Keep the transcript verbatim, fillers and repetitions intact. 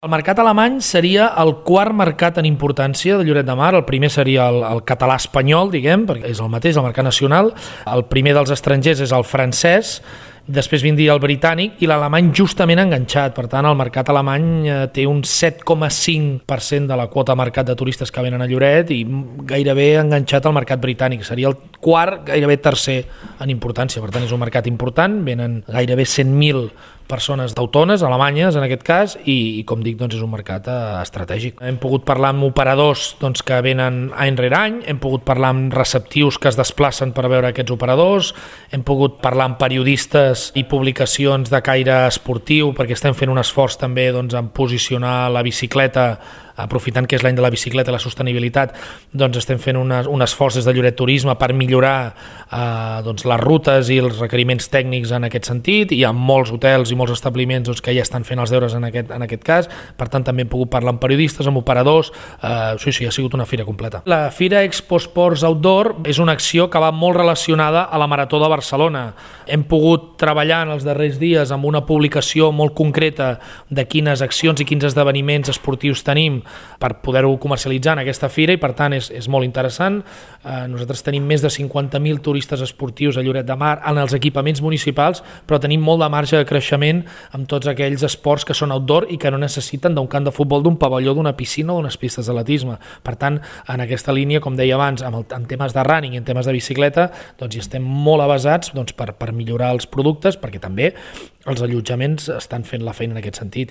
El mercat alemany seria el quart mercat en importància de Lloret de Mar. El primer seria el, el català espanyol, diguem, perquè és el mateix, el mercat nacional. El primer dels estrangers és el francès, després vindria el britànic i l'alemany justament enganxat. Per tant, el mercat alemany té un set coma cinc per cent de la quota mercat de turistes que venen a Lloret i gairebé enganxat al mercat britànic. Seria el quart, gairebé tercer en importància. Per tant, és un mercat important, venen gairebé cent mil persones d'autones, alemanyes en aquest cas, i, i com dic, doncs és un mercat eh, estratègic. Hem pogut parlar amb operadors doncs, que venen any rere any, hem pogut parlar amb receptius que es desplacen per veure aquests operadors, hem pogut parlar amb periodistes i publicacions de caire esportiu, perquè estem fent un esforç també doncs, en posicionar la bicicleta, aprofitant que és l'any de la bicicleta i la sostenibilitat, doncs estem fent una, un esforç des de Lloret Turisme per millorar eh, doncs, les rutes i els requeriments tècnics en aquest sentit. Hi ha molts hotels i molts establiments doncs, que ja estan fent els deures en aquest, en aquest cas, per tant també hem pogut parlar amb periodistes, amb operadors, eh, sí, sí, ha sigut una fira completa. La Fira Expo Sports Outdoor és una acció que va molt relacionada a la Marató de Barcelona. Hem pogut treballar en els darrers dies amb una publicació molt concreta de quines accions i quins esdeveniments esportius tenim per poder-ho comercialitzar en aquesta fira i per tant és, és molt interessant. Eh, nosaltres tenim més de cinquanta mil turistes esportius a Lloret de Mar en els equipaments municipals, però tenim molt de marge de creixement amb tots aquells esports que són outdoor i que no necessiten d'un camp de futbol, d'un pavelló, d'una piscina o d'unes pistes d'atletisme. Per tant, en aquesta línia, com deia abans, amb el, en temes de running i en temes de bicicleta, doncs hi estem molt avasats doncs, per, per millorar els productes, perquè també els allotjaments estan fent la feina en aquest sentit.